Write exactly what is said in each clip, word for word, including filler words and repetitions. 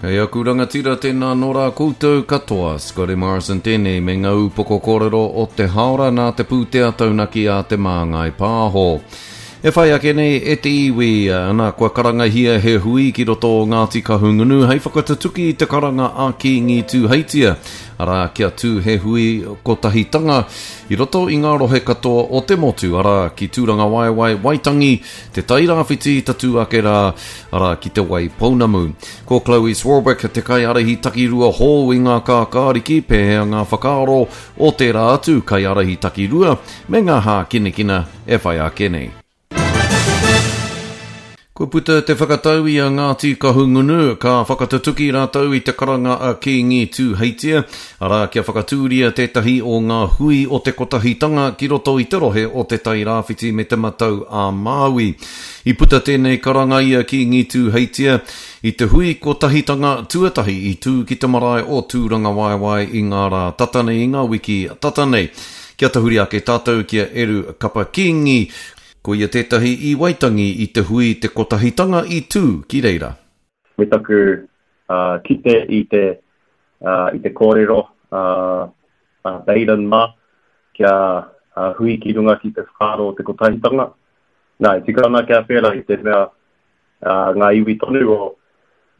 E aku rangatira tēnā nō rā koutou katoa. Scotty Morrison tēnei me ngā upoko kōrero o te haora nā te pūtea taunaki a Te Māngai Pāho. E whai ake nei e te iwi, ana kua karangahia he hui ki roto o Ngāti Kahungunu hei whakatutuki i te karanga a Kīngi Tūheitia, arā kia tū he hui kotahitanga i roto i ngā rohe katoa o te motu, arā ki Tūrangawaewae, Waitangi, Te Tairāwhiti, tatū ake rā, arā ki Te Waipounamu. Ko Chloe Swarbrick te kaiārahi takirua hou i ngā kākāriki, pēhea ngā whakaaro o tērā atu kaiārahi takirua me ngā hākinakina e whai ake nei. Kua puta te whakatau i a Ngāti Kahungunu, ka whakatutuki rātou i te karanga a Kīngi Tūheitia, arā kia whakatūria tētahi o ngā hui o te kotahitanga ki roto i te rohe o Te Tairāwhiti me Te Matau a Māui. I puta tēnei karanga i a Kīngi Tūheitia i te hui kotahitanga tuatahi i tū ki te marae o Tūrangawaewae i ngā rā tata nei, i ngā wiki tata nei. Kia tahuri ake tātou ki a Eru Kapa Kīngi, ko ia tētahi i Waitangi i te hui te kotahitanga i tū ki reira. Me taku uh, kite i te, uh, i te kōrero uh, uh, Baden mā kia uh, hui ki runga ki te whakaaro o te kotahitanga. Nā, e tika ana kia pērā i te mea uh, ngā iwi tonu o,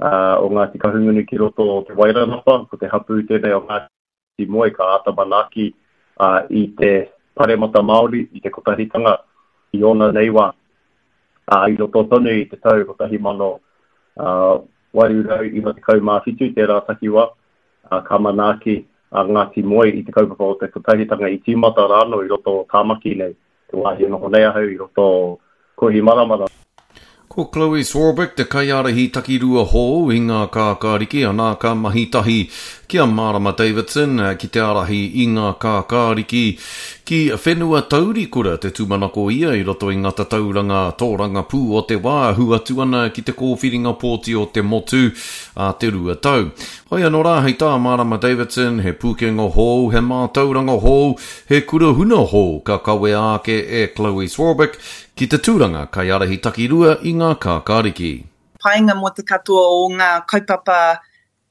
uh, o Ngāti Kahungunu ki roto o Te Wairarapa, ko te hapū tēnei o Ngāti Moe ka āta manaaki uh, i te paremata Māori, i te kotahitanga i ōna nei wā. Uh, i roto tonu i te tau kotahi mano uh, waru rau iwa tekau mā whitu tērā takiwā, uh, ka manaaki a Ngāti Moe i te kaupapa o te kotahitanga i tīmata rānō i roto o Tāmaki nei, te wāhi e noho nei ahau i roto o Kohimaramara. Ko Chloe Swarbrick te kaiārahi takirua hou i ngā kākāriki, anā ka mahi tahi ki a Marama Davidson ki te ārahi i ngā kākāriki ki whenua taurikura te tūmanako ia i roto i ngā tatauranga tōrangapū o te wā ahu atu ana ki te kōwhiringa pōti o te motu a te rua tau. Hoi anō rā hei tā Marama Davidson, he pūkenga hou, he mātauranga hou, he kura huna hou ka kawea ake e Chloe Swarbrick ki te tūranga kaiārahi takirua i ngā kākāriki. Painga mō te katoa o ngā kaupapa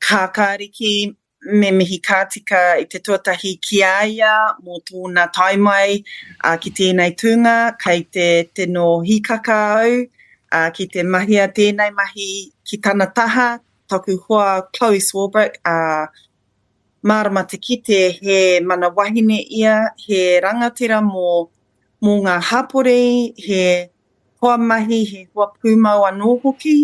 kākāriki me mihi kātika i te tuatahi ki a ia mō tōna tae mai uh, ki tēnei tūnga, kei te tino hikaka au uh, ki te mahia tēnei mahi ki tana taha, taku hoa Chloe Swarbrick, uh, mārama te kite he mana wahine ia, he rangatira mō mō ngā hapori, he hoa mahi, he hoa pūmau anō hoki.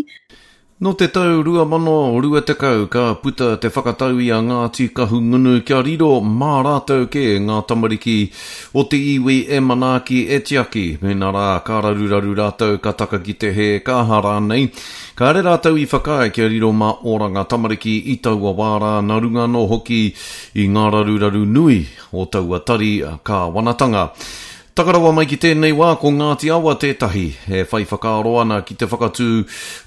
Nō te tau rua mano rua tekau ka puta te whakatau i a Ngāti Kahungunu kia riro mā rātou kē ngā tamariki o te iwi e manaaki e tiaki. Mēnā rā ka raruraru rātou ka taka ki te hē ka aha rānei. Kāre rātou i whakaae kia riro mā Oranga Tamariki i taua wā rā nā runga anō hoki i ngā raruraru nui o taua tari kāwanatanga. Taka rawa mai ki tēnei wā ko Ngāti Awa tētahi e whai whakaaro ana ki te whakatū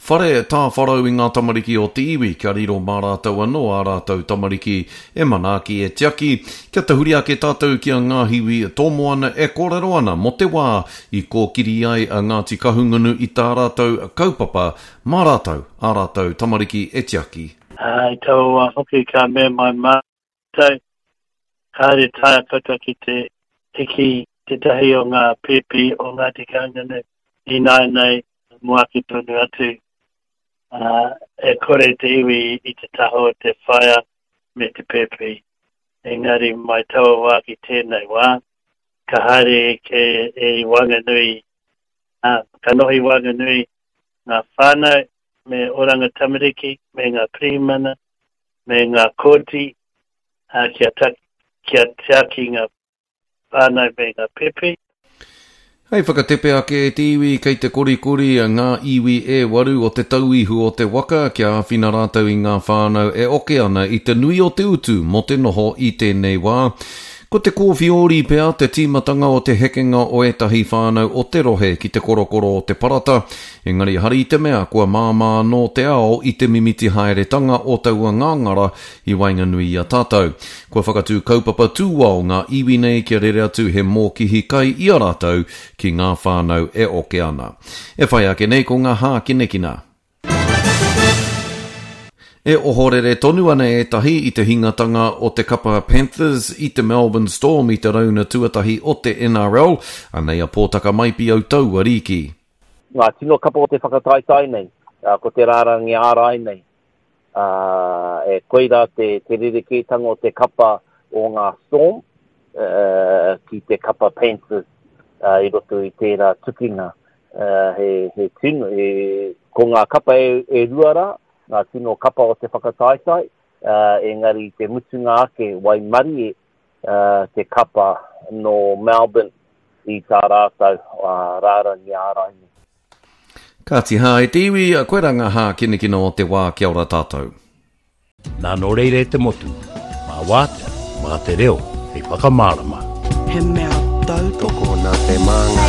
whare tāwharau i ngā tamariki o te iwi kia riro mā rātou anō ā rātou tamariki e manaaki e tiaki. Kia tahuri ake tātou ki a Ngāhiwi Tōmoana e kōrero ana mō te wā i kōkiri ai a Ngāti Kahungunu i tā rātou kaupapa mā rātou ā rātou tamariki e tiaki. Uh, I taua wā hoki ka mea mai mātou, kāre taea koutou ki te hiki tētahi o ngā pēpi o Ngāti Kahungunu i nāianei mō ake tonu atu. Uh, e kore te iwi i te taha o te whaea me te pēpi. Engari mai taua wā ki tēnei wā, ka haere ke e waenganui, uh, ka noho i waenganui ngā whānau me Oranga Tamariki, me ngā pirihimana, me ngā kōti, uh, kia, ta, kia tiaki ngā whānau me ngā pēpi. Hei whakatepe ake e te iwi kei te korikori ngā iwi e waru o te tauihu o te waka kia āwhina rātou i ngā whānau e oke ana i te nui o te utu mō te noho i tēnei wā. Ko te kōwhiori pea te tīmatanga o te hekenga o ētahi whānau o te rohe ki te korokoro o te parata, engari hari i te mea kua māmā anō te ao i te mimiti haeretanga o taua ngāngara i waenganui i a tātou. Kua whakatū kaupapa tūao ngā iwi nei kia rere atu he mōkihi kai i a rātou ki ngā whānau e oke ana. E whai ake nei ko ngā hākinakina. E ohorere tonu ana ētahi i te hingatanga o te kapa Panthers i te Melbourne Storm i te rauna tuatahi o te N R L. Anei a Pōtaka Maipi o taua rīki. Ngā tino kapa o te whakataetae nei, ko te rārangi ārai nei, uh, e koira te, te rerekētanga o te kapa o ngā Storm uh, ki te kapa Panthers uh, i roto i tērā tukinga. Uh, he, he tino, he, ko ngā kapa e, e rua rā, ngā tino kapa o te whakataetae, uh, engari te mutunga ake waimarie uh, te kapa no Melbourne i tā rātou uh, rārangi ārai nei. Kāti hā e te iwi, koe rā ngā hākinakina o te wā. Kia ora tātou. Nā nō reira e te motu, mā wātea, mā te reo, hei whakamārama. He mea tautoko Tokona te māngai.